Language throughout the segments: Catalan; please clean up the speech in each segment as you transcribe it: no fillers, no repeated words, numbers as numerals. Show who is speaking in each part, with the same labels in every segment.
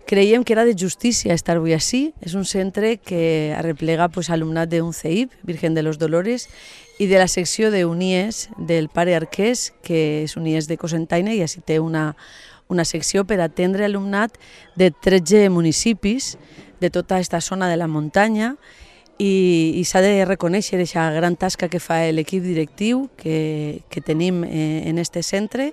Speaker 1: Creiem que era de justícia estar avui així. És un centre que arreplega alumnat d'un CEIP, Virgen de los Dolores, i de la secció d'Unies del pare Arqués, que és Unies de Cocentaina, i així té una secció per atendre alumnat de 13 municipis de tota aquesta zona de la muntanya, i s'ha de reconèixer aquesta gran tasca que fa l'equip directiu que tenim en aquest centre,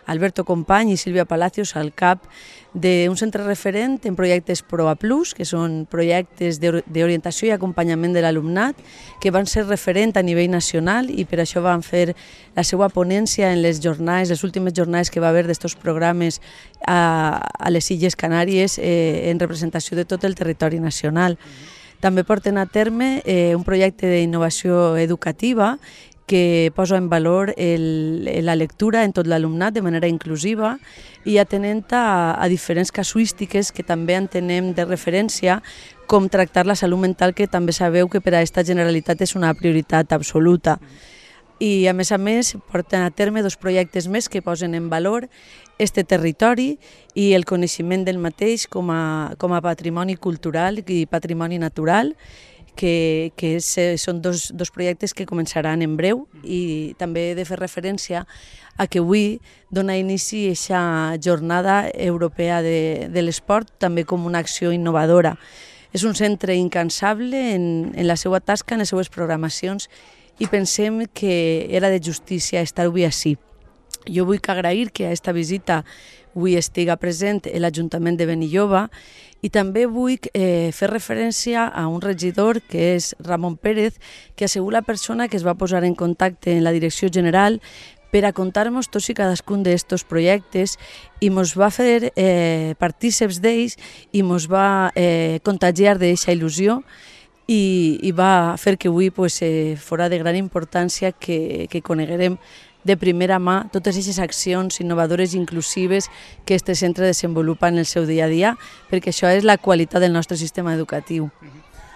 Speaker 1: Alberto Company i Sílvia Palacios al cap d'un centre referent en projectes PROA Plus, que són projectes d'orientació i acompanyament de l'alumnat, que van ser referent a nivell nacional, i per això van fer la seva ponència en les jornades, les últimes jornades que va haver d'estos programes a les Illes Canàries en representació de tot el territori nacional. També porten a terme un projecte d'innovació educativa que posa en valor la lectura en tot l'alumnat de manera inclusiva i atenent a diferents casuístiques que també entenem de referència, com tractar la salut mental, que també sabeu que per a aquesta Generalitat és una prioritat absoluta. I a més, porten a terme 2 projectes més que posen en valor este territori i el coneixement del mateix com a patrimoni cultural i patrimoni natural, que són dos projectes que començaran en breu, i també he de fer referència a que avui dona inici a aquesta jornada europea de l'esport també com una acció innovadora. És un centre incansable en la seva tasca, en les seues programacions, i pensem que era de justícia estar avui així. Jo vull agrair que a aquesta visita avui estiga present l'Ajuntament de Benilloba, i també vull fer referència a un regidor que és Ramon Pérez, que ha sigut la persona que es va posar en contacte en la Direcció General per a contar-nos tots i cadascun d'aquests projectes, i ens va fer partíceps d'ells i ens va contagiar d'aquesta il·lusió, i va fer que avui fora de gran importància que coneguerem de primera mà totes aquestes accions innovadores i inclusives que este centre desenvolupa en el seu dia a dia, perquè això és la qualitat del nostre sistema educatiu.